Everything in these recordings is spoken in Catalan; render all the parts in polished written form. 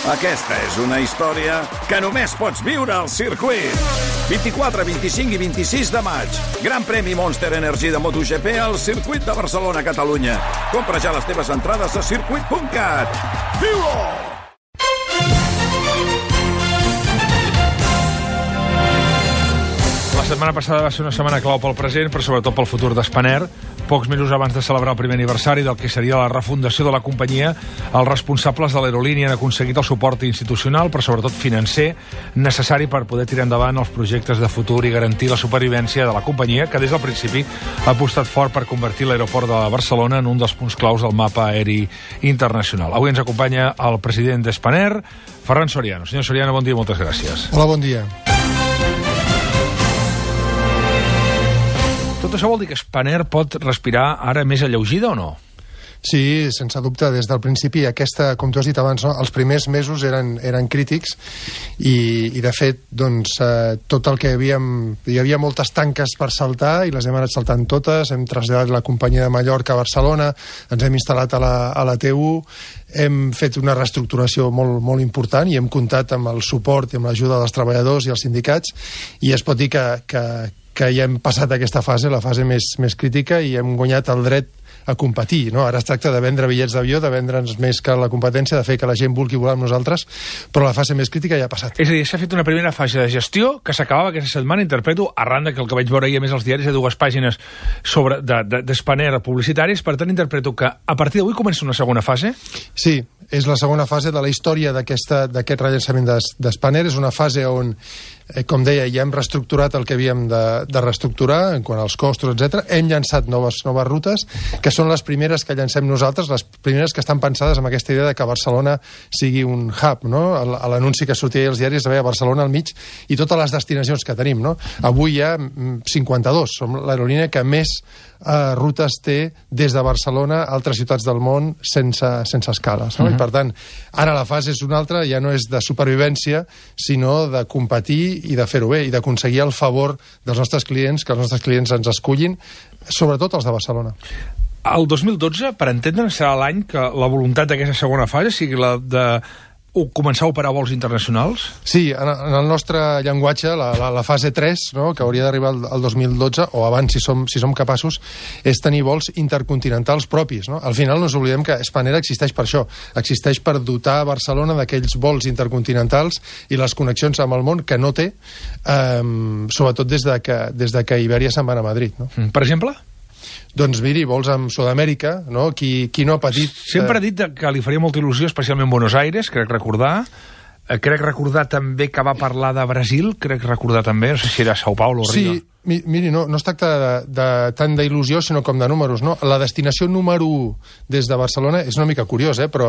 Aquesta és una història que només pots viure al circuit. 24, 25 i 26 de maig. Gran premi Monster Energy de MotoGP al circuit de Barcelona, Catalunya. Compra ja les teves entrades a circuit.cat. Viu-ho! La setmana passada va ser una setmana clau pel present, però sobretot pel futur d'Spanair. Pocs mesos abans de celebrar el primer aniversari del que seria la refundació de la companyia, els responsables de l'aerolínia han aconseguit el suport institucional, però sobretot financer, necessari per poder tirar endavant els projectes de futur i garantir la supervivència de la companyia, que des del principi ha apostat fort per convertir l'aeroport de Barcelona en un dels punts claus del mapa aeri internacional. Avui ens acompanya el president d'Spanair, Ferran Soriano. Senyor Soriano, bon dia i moltes gràcies. Hola, bon dia. Tot això vol dir que Spanair pot respirar ara més alleugida o no? Sí, sense dubte, des del principi aquesta, com tu has dit abans, no? Els primers mesos eren crítics i de fet, doncs, tot el que hi havia moltes tanques per saltar i les hem anat saltant totes. Hem traslladat la companyia de Mallorca a Barcelona, ens hem instal·lat a la T1, hem fet una reestructuració molt important i hem comptat amb el suport i amb l'ajuda dels treballadors i els sindicats, i es pot dir que ja hem passat aquesta fase, la fase més crítica, i hem guanyat el dret a competir, no? Ara es tracta de vendre bitllets d'avió, de vendre'ns més que la competència, de fer que la gent vulgui volar amb nosaltres, però la fase més crítica ja ha passat. És a dir, s'ha fet una primera fase de gestió que s'acabava aquesta setmana, interpreto, arran que el que vaig veure ahir a més als diaris de 2 pàgines sobre d'Spanair publicitaris. Per tant, interpreto que a partir d'avui comença una segona fase? Sí, és la segona fase de la història d'aquest rellançament d'Spanair. És una fase on, com deia, ja hem reestructurat el que havíem de reestructurar en quant als costos, etc. Hem llançat noves rutes, que són les primeres que llancem nosaltres, les primeres que estan pensades amb aquesta idea de que Barcelona sigui un hub, no? L'anunci que sortia als diaris veia Barcelona al mig i totes les destinacions que tenim, no? Avui hi ha 52, som l'aerolínia que més rutes té des de Barcelona a altres ciutats del món sense escales, no? I per tant, ara la fase és una altra, ja no és de supervivència, sinó de competir i de fer-ho bé, i d'aconseguir el favor dels nostres clients, que els nostres clients ens escullin, sobretot els de Barcelona. El 2012, per entendre'n, serà l'any que la voluntat d'aquesta segona fase sigui la de començar a operar vols internacionals? Sí, en el nostre llenguatge, la fase 3, no, que hauria d'arribar al 2012, o abans, si som capaços, és tenir vols intercontinentals propis, no? Al final no ens oblidem que Spanair existeix per això, existeix per dotar Barcelona d'aquells vols intercontinentals i les connexions amb el món que no té, sobretot des de que Ibèria se'n va a Madrid, no? Per exemple? Doncs miri, vols amb Sud-amèrica, no? Qui no ha patit... Sempre ha dit que li faria molta il·lusió, especialment Buenos Aires, crec recordar també que va parlar de Brasil, també, no sé si era São Paulo o Rio. Sí, miri, no es tracta tant d'il·lusió, sinó com de números, no? La destinació número 1 des de Barcelona és una mica curiós, però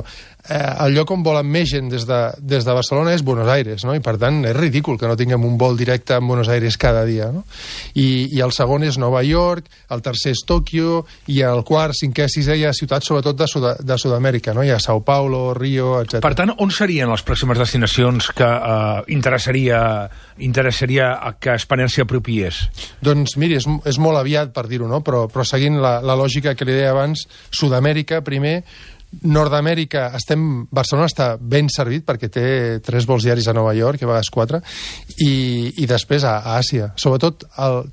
el lloc on volen més gent des de Barcelona és Buenos Aires, no? I per tant és ridícul que no tinguem un vol directe a Buenos Aires cada dia, no? I el segon és Nova York, el tercer és Tòquio, i el quart, cinquè, sisè hi ha ciutats sobretot de Sud-amèrica, no? Hi ha São Paulo, Rio, etc. Per tant, on serien les pròximes destinacions que interessaria que Spanair s'hi apropiés? Doncs miri, és molt aviat per dir-ho, no? Però seguint la lògica que li deia abans, Sud-amèrica primer, Nord-amèrica, Barcelona està ben servit perquè té 3 vols diaris a Nova York, a vegades 4, i després a Àsia. Sobretot,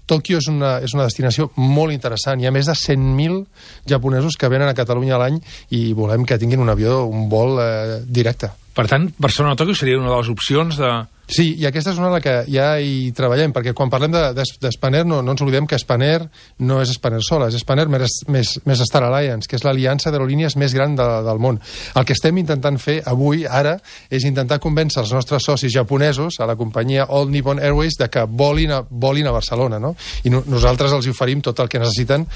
Tòquio és una destinació molt interessant. Hi ha més de 100.000 japonesos que venen a Catalunya a l'any i volem que tinguin un vol directe. Per tant, Barcelona-Tòquio seria una de les opcions de... Sí, i aquesta és una de la que ja hi treballem, perquè quan parlem d'Spanair no ens oblidem que Spanair no és Spanair sola, és Spanair més Star Alliance, que és l'aliança d'aerolínies més gran del món. El que estem intentant fer avui, ara, és intentar convèncer els nostres socis japonesos, a la companyia All Nippon Airways, de que volin a Barcelona, no? I nosaltres els oferim tot el que necessiten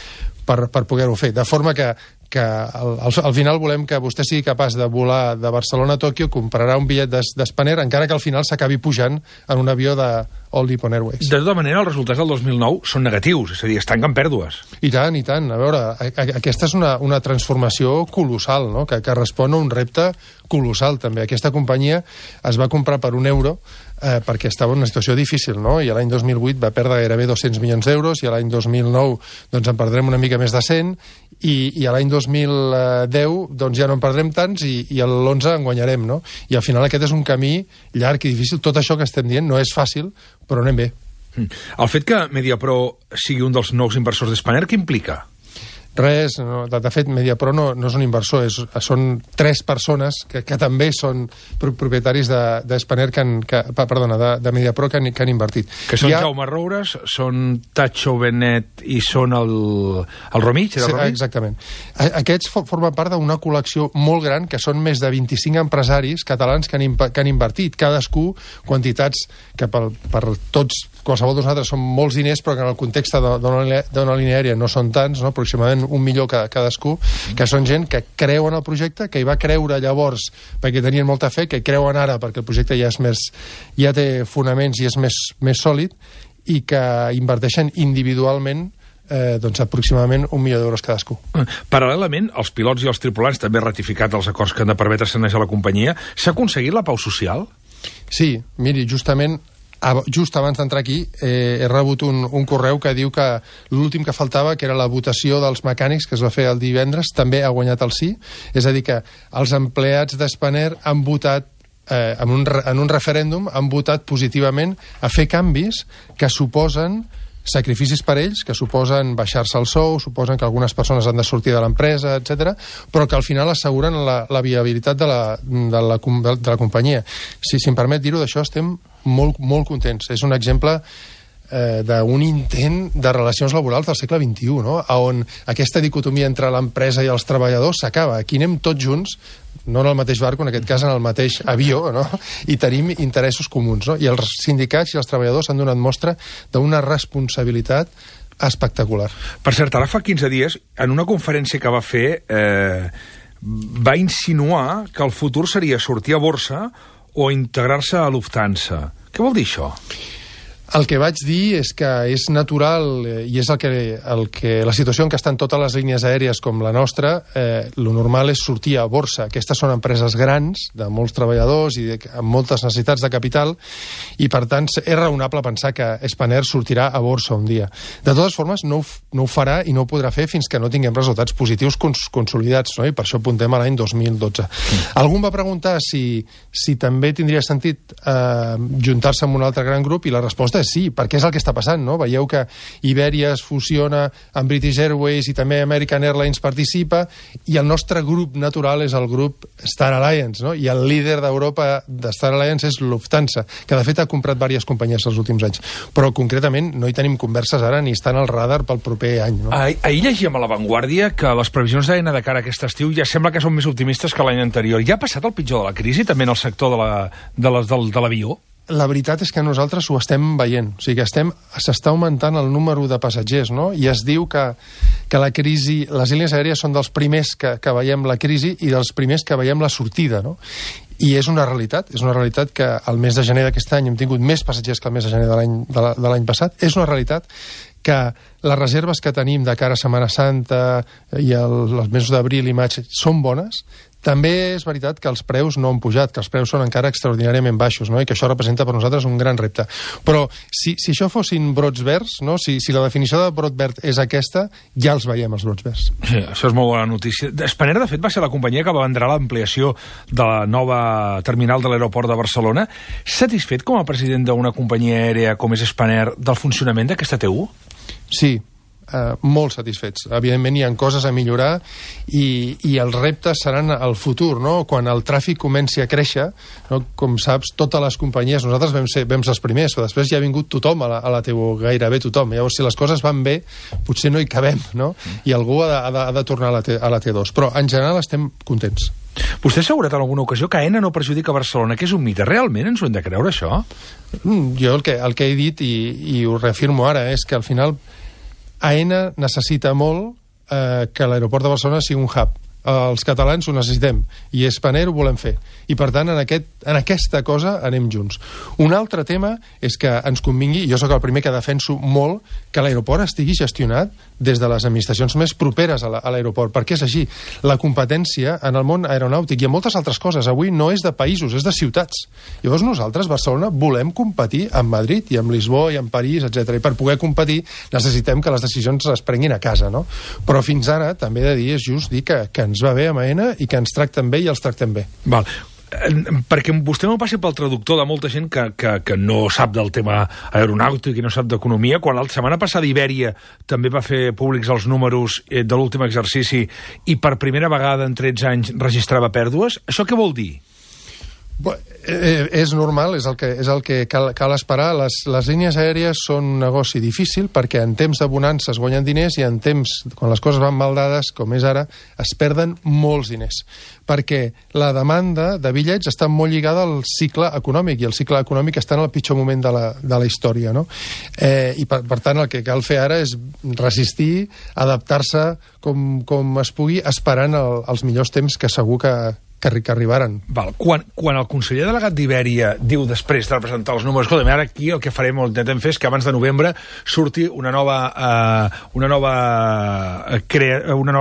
per poder-ho fer. De forma que al final volem que vostè sigui capaç de volar de Barcelona a Tòquio, comprarà un bitllet d'Spanair, encara que al final s'acabi pujant en un avió All Nippon Airways. De tota manera, els resultats del 2009 són negatius, és a dir, es tanquen pèrdues. I tant, i tant. A veure, aquesta és una transformació colossal, no? que respon a un repte colossal, també. Aquesta companyia es va comprar per €1 perquè estava en una situació difícil, no? I l'any 2008 va perdre gairebé 200 milions d'euros, i l'any 2009 doncs en perdrem una mica més de 100, i l'any 2010 doncs ja no en perdrem tants, i l'11 en guanyarem, no? I al final aquest és un camí llarg i difícil. Tot això que estem dient no és fàcil, però anem bé. El fet que Mediapro sigui un dels nous inversors d'Spanair, què implica? Res, no, de fet, Mediapro no és un inversor, són 3 persones que també són propietaris de Spanair, de Mediapro, que han invertit. Que són Jaume Roures, són Tacho Benet i són el Romich? Sí, exactament. Aquests formen part d'una col·lecció molt gran, que són més de 25 empresaris catalans que han invertit, cadascú quantitats que per tots, qualsevol de nosaltres, són molts diners, però que en el context d'una línia aèria no són tants, no? Aproximadament 1 milió cadascú, que són gent que creuen el projecte, que hi va creure llavors perquè tenien molta fe, que creuen ara perquè el projecte ja té fonaments i és més sòlid, i que inverteixen individualment doncs aproximadament 1 milió d'euros cadascú. Paral·lelament, els pilots i els tripulants també han ratificat els acords que han de permetre sanejar la companyia. S'ha aconseguit la pau social? Sí, miri, justament just abans d'entrar aquí he rebut un correu que diu que l'últim que faltava, que era la votació dels mecànics, que es va fer el divendres, també ha guanyat el sí. És a dir, que els empleats d'Spanair han votat en un referèndum, han votat positivament a fer canvis que suposen sacrificis per ells, que suposen baixar-se el sou, suposen que algunes persones han de sortir de l'empresa, etc., però que al final asseguren la viabilitat de la companyia. Si em permet dir-ho, d'això estem molt, molt contents. És un exemple d'un intent de relacions laborals del segle XXI, no? On aquesta dicotomia entre l'empresa i els treballadors s'acaba. Aquí anem tots junts, no en el mateix barco, en aquest cas en el mateix avió, no? I tenim interessos comuns, no? I els sindicats i els treballadors han donat mostra d'una responsabilitat espectacular. Per cert, ara fa 15 dies, en una conferència que va fer, va insinuar que el futur seria sortir a borsa o integrar-se a Lufthansa. Què vol dir això? El que vaig dir és que és natural, i és la situació en què estan totes les línies aèries com la nostra, lo normal és sortir a borsa. Aquestes són empreses grans, de molts treballadors i amb moltes necessitats de capital, i per tant és raonable pensar que Spanair sortirà a borsa un dia. De totes formes, no ho farà i no ho podrà fer fins que no tinguem resultats positius consolidats, no? I per això apuntem a l'any 2012. Algú em va preguntar si també tindria sentit juntar-se amb un altre gran grup, i la resposta és sí, perquè és el que està passant, no? Veieu que Iberia es fusiona amb British Airways i també American Airlines participa, i el nostre grup natural és el grup Star Alliance, no? I el líder d'Europa de Star Alliance és Lufthansa, que de fet ha comprat diverses companyies els últims anys. Però concretament no hi tenim converses ara ni estan al radar pel proper any, no? Ahir llegíem a La Vanguardia que les previsions d'AENA de cara a aquest estiu ja sembla que són més optimistes que l'any anterior. Ja ha passat el pitjor de la crisi també en el sector de l'avió? La veritat és que nosaltres ho estem veient. O sigui, s'està augmentant el número de passatgers, no? I es diu que la crisi, les línies aèries són dels primers que veiem la crisi i dels primers que veiem la sortida, no? I és una realitat que el mes de gener d'aquest any hem tingut més passatgers que el mes de gener de l'any passat. És una realitat que les reserves que tenim de cara a Setmana Santa i els mesos d'abril i maig són bones. També és veritat que els preus no han pujat, que els preus són encara extraordinàriament baixos, no? I que això representa per nosaltres un gran repte. Però si això fossin brots verds, no? Si la definició de brot verd és aquesta, ja els veiem, els brots verds. Sí, això és molt bona notícia. Spanair, de fet, va ser la companyia que va vendre l'ampliació de la nova terminal de l'aeroport de Barcelona. Satisfet com a president d'una companyia aèria com és Spanair del funcionament d'aquesta TU? Sí, molt satisfets. Evidentment hi ha coses a millorar i els reptes seran al futur, no? Quan el tràfic comenci a créixer, no? Com saps, totes les companyies, nosaltres vam ser els primers, però després ja ha vingut tothom a la TU, gairebé tothom. Llavors, si les coses van bé, potser no hi cabem, no? I algú ha de tornar a la T2. Però, en general, estem contents. Vostè ha assegurat en alguna ocasió que AENA no perjudica Barcelona, que és un mite. Realment ens ho hem de creure, això? Jo el que he dit, i ho reafirmo ara, és que al final AENA necessita molt que l'aeroport de Barcelona sigui un hub, els catalans ho necessitem, i Spanair ho volem fer. I, per tant, en aquesta cosa anem junts. Un altre tema és que ens convingui, jo sóc el primer que defenso molt, que l'aeroport estigui gestionat des de les administracions més properes a l'aeroport, perquè és així. La competència en el món aeronàutic i en moltes altres coses avui no és de països, és de ciutats. Llavors nosaltres, Barcelona, volem competir amb Madrid i amb Lisboa i amb París, etc. I per poder competir necessitem que les decisions es prenguin a casa, no? Però fins ara, també he de dir, és just dir que ens va bé amb AENA i que ens tracten bé i els tractem bé. Val. Perquè vostè no passi pel traductor de molta gent que no sap del tema aeronàutic i no sap d'economia, quan la setmana passada Ibèria també va fer públics els números de l'últim exercici i per primera vegada en 13 anys registrava pèrdues, això què vol dir? És normal, és el que cal esperar. Les línies aèries són un negoci difícil perquè en temps de bonança es guanyen diners i en temps, quan les coses van mal dades, com és ara, es perden molts diners. Perquè la demanda de bitllets està molt lligada al cicle econòmic, i el cicle econòmic està en el pitjor moment de la història, no? I per tant el que cal fer ara és resistir, adaptar-se com es pugui, esperant els millors temps que segur que arribaran. Val. Quan el conseller delegat d'Ibèria diu després de presentar els números, escolta, ara aquí el que farem o intentem fer és que abans de novembre surti una nova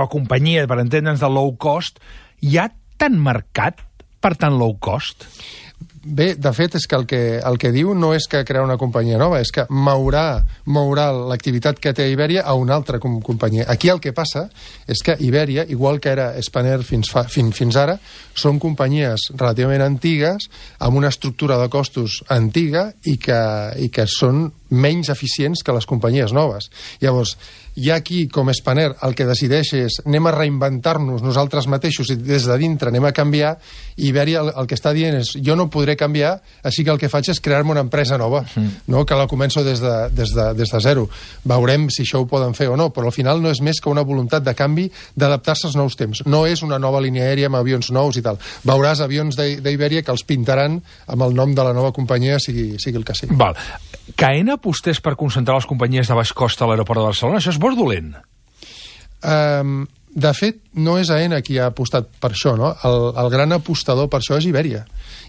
companyia, per entendre'ns, de low cost, hi ha tant mercat per tant low cost? Bé, de fet, és que el que diu no és que crear una companyia nova, és que mourà l'activitat que té Ibèria a una altra companyia. Aquí el que passa és que Ibèria, igual que era Spanair fins ara, són companyies relativament antigues, amb una estructura de costos antiga i que són menys eficients que les companyies noves. Llavors, hi ha aquí, com Spanair, el que decideix és anem a reinventar-nos nosaltres mateixos i des de dintre anem a canviar, i Ibèria el que està dient és jo no podré canviar, així que el que faig és crear-me una empresa nova, no? Que la començo des de zero. Veurem si això ho poden fer o no, però al final no és més que una voluntat de canvi, d'adaptar-se als nous temps. No és una nova línia aèria amb avions nous i tal. Veuràs avions d'Ibèria que els pintaran amb el nom de la nova companyia, sigui el que sigui. Val. Que AENA apostés per concentrar les companyies de baix cost a l'aeroport de Barcelona, això és bo o dolent? De fet, no és AENA qui ha apostat per això, no? El gran apostador per això és Ibèria.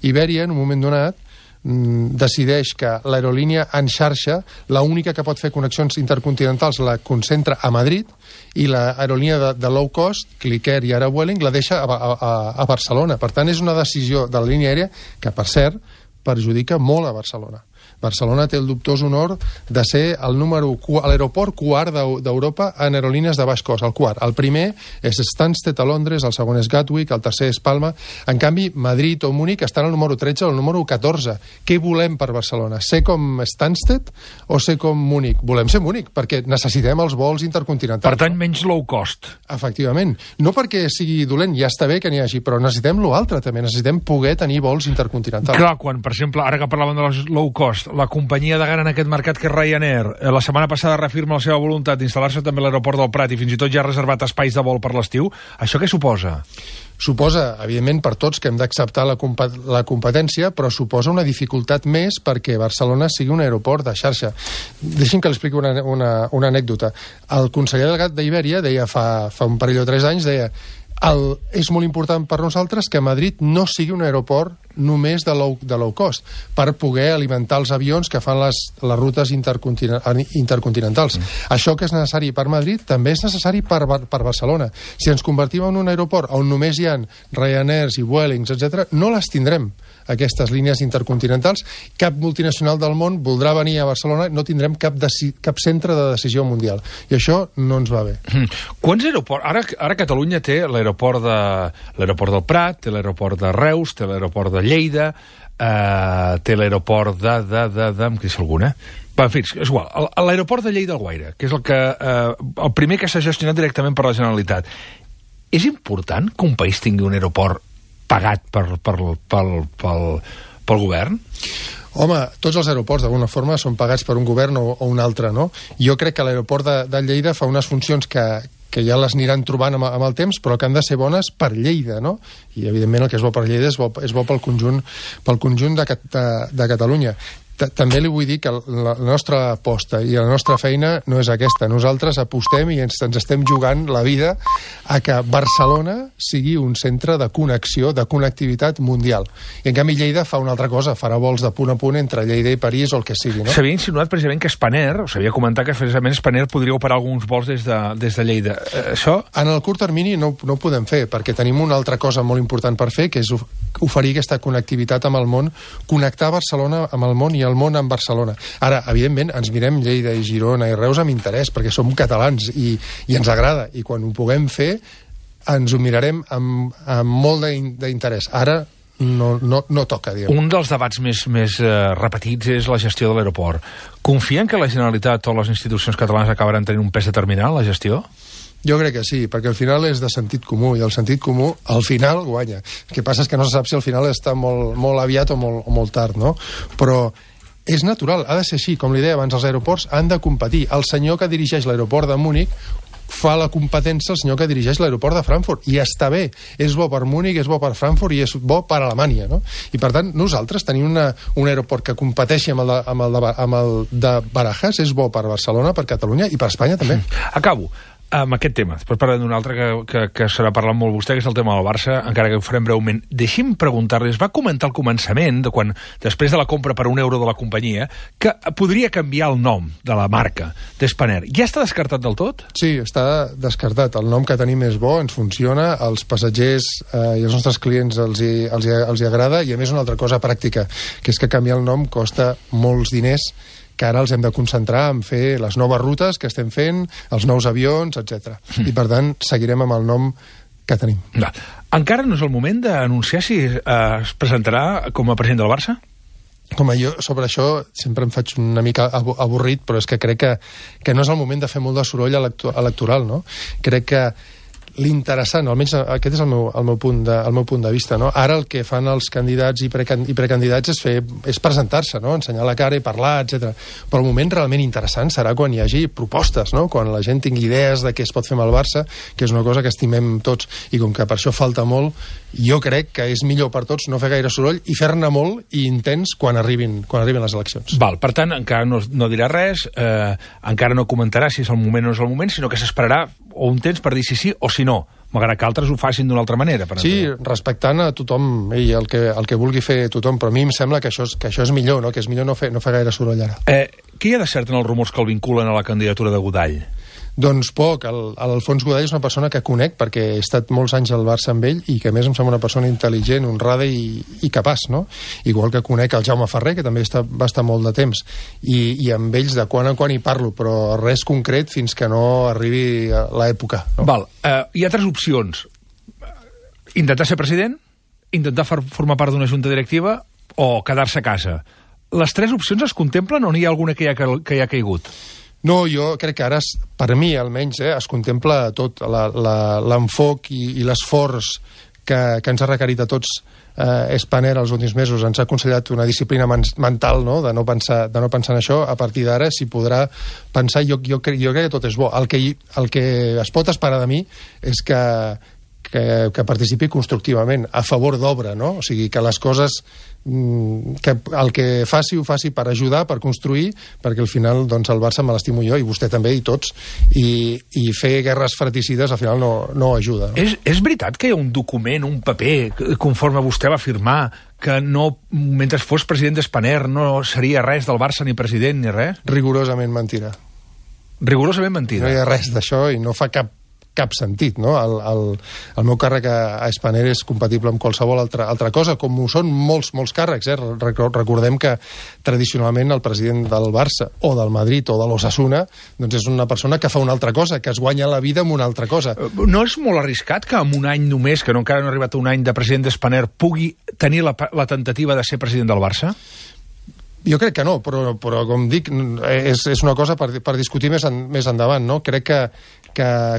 Ibèria, en un moment donat, decideix que l'aerolínia en xarxa, l'única que pot fer connexions intercontinentals, la concentra a Madrid, i l'aerolínia de low cost, Clicker i ara Vueling, la deixa a Barcelona. Per tant, és una decisió de la línia aèria que, per cert, perjudica molt a Barcelona. Barcelona té el dubtós honor de ser l'aeroport quart d'Europa en aerolínies de baix cost, el quart. El primer és Stansted a Londres, el segon és Gatwick, el tercer és Palma. En canvi, Madrid o Múnich estan al número 13 o al número 14. Què volem per Barcelona? Ser com Stansted o ser com Múnich? Volem ser Múnich, perquè necessitem els vols intercontinentals. Per tant, menys low cost. Efectivament. No perquè sigui dolent, ja està bé que n'hi hagi, però necessitem l'altre també. Necessitem poder tenir vols intercontinentals. Clar, quan, per exemple, ara que parlàvem de les low cost, la companyia de gara en aquest mercat que és Ryanair, la setmana passada reafirma la seva voluntat d'instal·lar-se també a l'aeroport del Prat i fins i tot ja ha reservat espais de vol per l'estiu. Això què suposa? Suposa, evidentment, per tots que hem d'acceptar la competència, però suposa una dificultat més perquè Barcelona sigui un aeroport de xarxa. Deixi'm que li expliqui una anècdota. El conseller delegat d'Ibèria deia fa un parell o 3 anys, deia és molt important per nosaltres que Madrid no sigui un aeroport només de low cost, per poder alimentar els avions que fan les rutes intercontinentals. Això que és necessari per Madrid també és necessari per Barcelona. Si ens convertim en un aeroport on només hi ha Ryanairs i Vuelings, etc., no les tindrem, aquestes línies intercontinentals. Cap multinacional del món voldrà venir a Barcelona, no tindrem cap centre de decisió mundial. I això no ens va bé. Quants aeroports? Ara Catalunya té l'aeroport del Prat, té l'aeroport de Reus, té l'aeroport de Lleida, té l'aeroport em queda alguna? En fi, és igual. L'aeroport de Lleida Alguaire, que és el primer que s'ha gestionat directament per la Generalitat. És important que un país tingui un aeroport pagat pel govern? Home, tots els aeroports d'alguna forma són pagats per un govern o un altre, no? Jo crec que l'aeroport de Lleida fa unes funcions que ja les aniran trobant amb el temps, però que han de ser bones per Lleida, no? I, evidentment, el que és bo per Lleida és bo pel conjunt de Catalunya. També li vull dir que la nostra aposta i la nostra feina no és aquesta. Nosaltres apostem i ens estem jugant la vida a que Barcelona sigui un centre de connexió, de connectivitat mundial. I en canvi Lleida fa una altra cosa, farà vols de punt a punt entre Lleida i París o el que sigui, no? S'havia insinuat precisament que Spanair, o s'havia comentat que precisament Spanair podria operar alguns vols des de Lleida. Això... En el curt termini no ho podem fer, perquè tenim una altra cosa molt important per fer, que és oferir aquesta connectivitat amb el món, connectar Barcelona amb el món i el món amb Barcelona. Ara, evidentment, ens mirem Lleida i Girona i Reus amb interès, perquè som catalans i ens agrada, i quan ho puguem fer ens ho mirarem amb molt d'interès. Ara no toca, diguem. Un dels debats més repetits és la gestió de l'aeroport. Confien que la Generalitat o les institucions catalanes acabaran tenint un pes determinant en la gestió? Jo crec que sí, perquè al final és de sentit comú, i el sentit comú al final guanya. El que passa és que no se sap si al final està molt aviat o molt tard, no? Però és natural, ha de ser així. Com li deia abans, els aeroports han de competir. El senyor que dirigeix l'aeroport de Múnich fa la competència al senyor que dirigeix l'aeroport de Frankfurt, i està bé. És bo per Múnich, és bo per Frankfurt i és bo per Alemanya, no? I per tant, nosaltres tenim un aeroport que competeixi amb el de Barajas, és bo per Barcelona, per Catalunya i per Espanya també. Acabo amb aquest tema. Després parlarem d'un altre que serà parlant molt vostè, que és el tema del Barça, encara que ho farem breument. Deixi'm preguntar-li, es va comentar al començament, després de la compra per €1 de la companyia, que podria canviar el nom de la marca d'Spanair. Ja està descartat del tot? Sí, està descartat. El nom que tenim és bo, ens funciona, als passatgers i als nostres clients els hi agrada, i a més una altra cosa pràctica, que és que canviar el nom costa molts diners, que ara els hem de concentrar en fer les noves rutes que estem fent, els nous avions, etc. I per tant seguirem amb el nom que tenim. Encara no és el moment d'anunciar si es presentarà com a president del Barça? Com jo sobre això sempre em faig una mica avorrit, però és que crec que no és el moment de fer molt de soroll electoral, no? Crec que l'interessant, almenys aquest és el meu punt de vista, no? Ara el que fan els candidats i precandidats és presentar-se, no? Ensenyar la cara i parlar, etc. Però el moment realment interessant serà quan hi hagi propostes, no? Quan la gent tingui idees de què es pot fer amb el Barça, que és una cosa que estimem tots, i com que per això falta molt, jo crec que és millor per tots no fer gaire soroll i fer-ne molt i intens quan arribin les eleccions. Val, per tant, encara no dirà res, encara no comentarà si és el moment o no és el moment, sinó que s'esperarà o un temps per dir si sí o si no, malgrat que altres ho facin d'una altra manera. Sí, respectant a tothom i el que vulgui fer tothom, però a mi em sembla que això és millor, no? Que és millor no fer gaire soroll ara. Què hi ha de cert en els rumors que el vinculen a la candidatura de Godall? Doncs poc. L'Alfons Godall és una persona que conec perquè he estat molts anys al Barça amb ell i que a més em sembla una persona intel·ligent, honrada i capaç, no? Igual que conec el Jaume Ferrer, que també va estar molt de temps, i amb ells de quan en quan hi parlo, però res concret fins que no arribi l'època, no? Val. Hi ha tres opcions. Intentar ser president, intentar formar part d'una junta directiva o quedar-se a casa. Les tres opcions es contemplen o n'hi ha alguna que hi ha caigut? No, jo crec que ara, per mi almenys, es contempla tot, l'enfoc i l'esforç que ens ha requerit a tots Spanair els últims mesos. Ens ha aconsellat una disciplina mental, no?, de no pensar en això. A partir d'ara s'hi podrà pensar. Jo crec que tot és bo. El que es pot esperar de mi és que participi constructivament, a favor d'obra, no? O sigui, que les coses, que el que faci, ho faci per ajudar, per construir, perquè al final doncs, el Barça me l'estimo jo, i vostè també, i tots, i fer guerres fratricides al final no ajuda, no? És veritat que hi ha un document, un paper, conforme vostè va firmar, que mentre fos president d'Spanair no seria res del Barça, ni president, ni res? Rigorosament mentida. Rigorosament mentida? No hi ha res d'això i no fa cap sentit, no? El meu càrrec a Spanair és compatible amb qualsevol altra cosa, com ho són molts càrrecs, eh? Recordem que tradicionalment el president del Barça o del Madrid o de l'Osasuna doncs és una persona que fa una altra cosa, que es guanya la vida amb una altra cosa. No és molt arriscat que en un any només, que encara no ha arribat un any de president d'Spanair, pugui tenir la temptativa de ser president del Barça? Jo crec que no, però com dic, és una cosa per discutir més endavant, no? Crec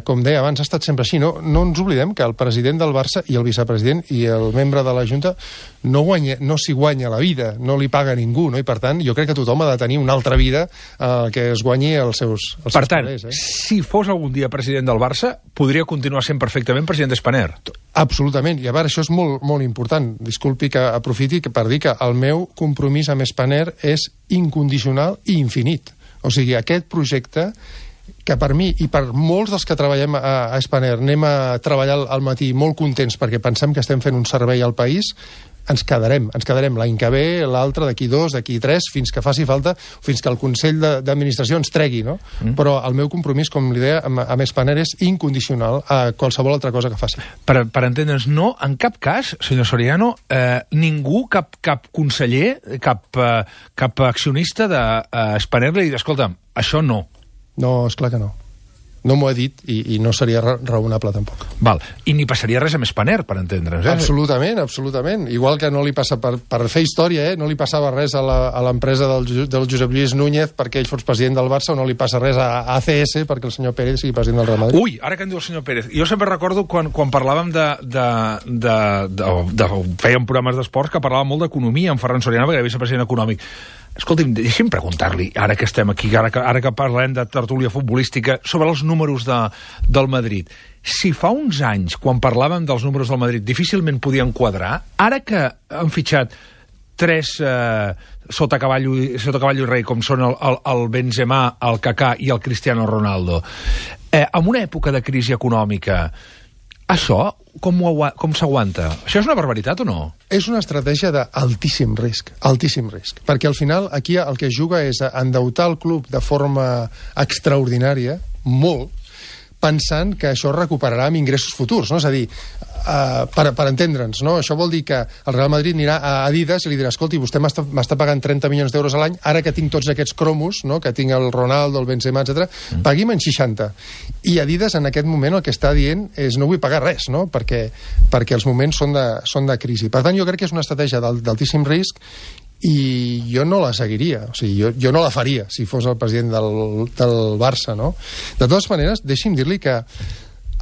com deia abans, ha estat sempre així. No ens oblidem que el president del Barça i el vicepresident i el membre de la Junta no s'hi guanya la vida, no li paga ningú, no? I per tant, jo crec que tothom ha de tenir una altra vida que es guanyi els seus calés. Si fos algun dia president del Barça, podria continuar sent perfectament president d'Spanair. Absolutament, i a veure, això és molt, molt important. Disculpi que aprofiti per dir que el meu compromís amb Spanair és incondicional i infinit. O sigui, aquest projecte que per mi i per molts dels que treballem a Spanair anem a treballar al matí molt contents perquè pensem que estem fent un servei al país, ens quedarem l'any que ve, l'altre, d'aquí 2, d'aquí 3, fins que faci falta, fins que el Consell d'Administració ens tregui, no? Però el meu compromís, com li deia, amb Spanair és incondicional a qualsevol altra cosa que faci. Per entendre'ns, no, en cap cas, senyor Soriano, ningú, cap conseller, cap accionista de Spanair li dirà, escolta'm, això no. No, esclar que no. No m'ho he dit i no seria raonable tampoc. Val. I ni passaria res amb Spanair, per entendre'ns. Absolutament, absolutament. Igual que no li passa, per fer història, no li passava res a l'empresa del Josep Lluís Núñez perquè ell fos president del Barça, o no li passa res a ACS perquè el senyor Pérez sigui president del Real Madrid. Ui, ara que en diu el senyor Pérez. Jo sempre recordo quan parlàvem fèiem programes d'esports que parlàvem molt d'economia amb Ferran Soriano, perquè era vicepresident econòmic. Escolti'm, deixi'm preguntar-li, ara que estem aquí, ara que parlem de tertúlia futbolística, sobre els números del Madrid. Si fa uns anys, quan parlàvem dels números del Madrid, difícilment podien quadrar, ara que han fitxat 3 sota cavall i rei, com són el Benzema, el Kaká i el Cristiano Ronaldo, en una època de crisi econòmica, això com s'aguanta? Això és una barbaritat o no? És una estratègia d'altíssim risc, perquè al final aquí el que es juga és a endeutar el club de forma extraordinària, molt, pensant que això recuperarà amb ingressos futurs, no? És a dir, per entendre'ns, no? Això vol dir que el Real Madrid anirà a Adidas i li dirà, escolti, vostè m'està pagant 30 milions d'euros a l'any, ara que tinc tots aquests cromos, no? Que tinc el Ronaldo, el Benzema, etc., pagui'm en 60. I Adidas en aquest moment el que està dient és no vull pagar res, no? Perquè els moments són de crisi. Per tant, jo crec que és una estratègia d'altíssim risc i jo no la seguiria, o sigui, jo no la faria si fos el president del Barça, no? De totes maneres, deixi'm dir-li que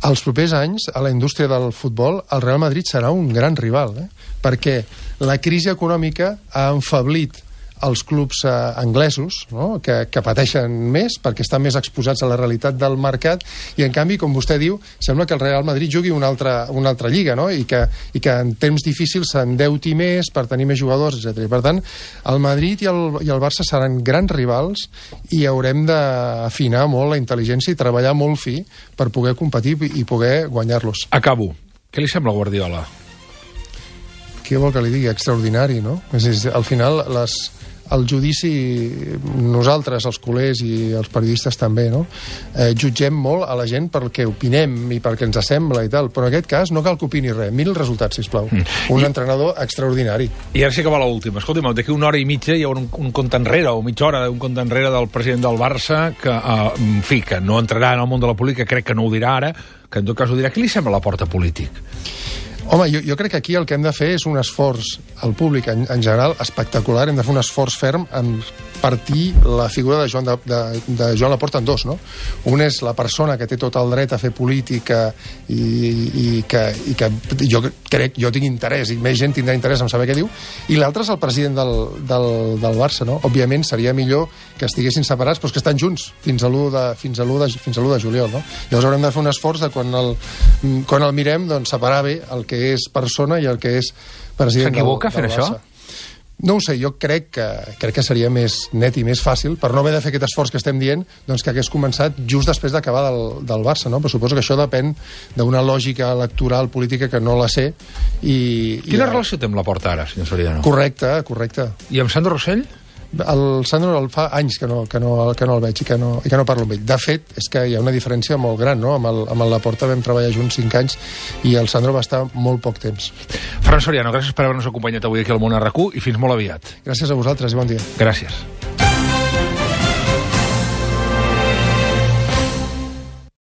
els propers anys a la indústria del futbol el Real Madrid serà un gran rival, perquè la crisi econòmica ha enfablit els clubs anglesos, no? que pateixen més perquè estan més exposats a la realitat del mercat, i en canvi, com vostè diu, sembla que el Real Madrid jugui una altra lliga, no? I que en temps difícils s'endeuti més per tenir més jugadors, etc. Per tant, el Madrid i el Barça seran grans rivals i haurem d'afinar molt la intel·ligència i treballar molt fi per poder competir i poder guanyar-los. Acabo. Què li sembla Guardiola? Què vol que li digui? Extraordinari, no? Al final, el judici, nosaltres, els culers i els periodistes també, no? Jutgem molt a la gent pel que opinem i pel que ens sembla i tal, però en aquest cas no cal que opini res. Mira el resultat, sisplau. Un entrenador extraordinari. I ara sí que va l'última. Escolta'm, d'aquí una hora i mitja hi haurà un compte enrere, o mitja hora, un compte enrere del president del Barça, que, en fi, que no entrarà en el món de la política, crec que no ho dirà ara, que en tot cas ho dirà. Què li sembla Laporta polític? Home, jo crec que aquí el que hem de fer és un esforç al públic en general espectacular. Hem de fer un esforç ferm en partir la figura de Joan Laporta en dos, no? Un és la persona que té tot el dret a fer política i que jo tinc interès, i més gent tindrà interès en saber què diu, i l'altre és el president del Barça, no? Òbviament seria millor que estiguessin separats, però que estan junts fins a l'1 de juliol, no? Llavors haurem de fer un esforç de quan el mirem, doncs separar bé el que és persona i el que és president del Barça. S'equivoca fent això? No ho sé, jo crec que seria més net i més fàcil, per no haver de fer aquest esforç que estem dient, doncs que hagués començat just després d'acabar del Barça, no? Però suposo que això depèn d'una lògica electoral política que no la sé. Quina relació té amb Laporta ara, senyor Soriano? Correcte. I amb Sandro Rossell? El Sandro fa anys que no el veig i que no parlo amb ell. De fet, és que hi ha una diferència molt gran, no? Amb el Laporta vam treballar junts 5 anys i el Sandro va estar molt poc temps. Ferran Soriano, gràcies per haver-nos acompanyat avui aquí al Món RQ i fins molt aviat. Gràcies a vosaltres i bon dia. Gràcies.